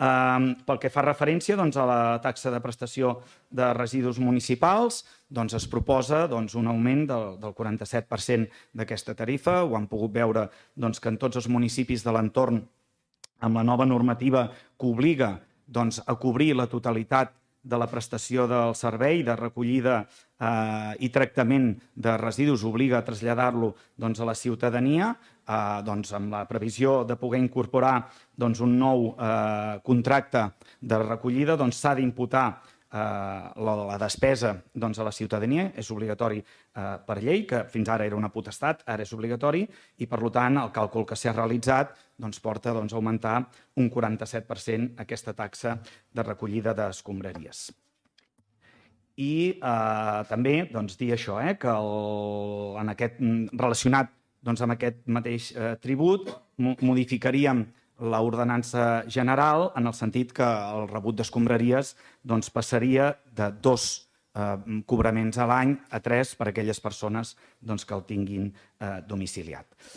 Pel que fa referència a la taxa de prestació de residus municipals, es proposa un augment del 47% d'aquesta tarifa. Ho han pogut veure que en tots els municipis de l'entorn, amb la nova normativa que obliga a cobrir la totalitat de la prestació del servei de recollida i tractament de residus, obliga a traslladar-lo a la ciutadania, amb la previsió de poder incorporar un nou contracte de recollida, s'ha d'imputar la despesa a la ciutadania. És obligatori per llei, que fins ara era una potestat, ara és obligatori, i per tant el càlcul que s'ha realitzat porta a augmentar un 47% aquesta taxa de recollida d'escombraries. I també dir això, que relacionat amb aquest mateix tribut modificaríem l'ordenança general en el sentit que el rebut d'escombraries passaria de 2 cobraments a l'any a 3 per a aquelles persones que el tinguin domiciliat.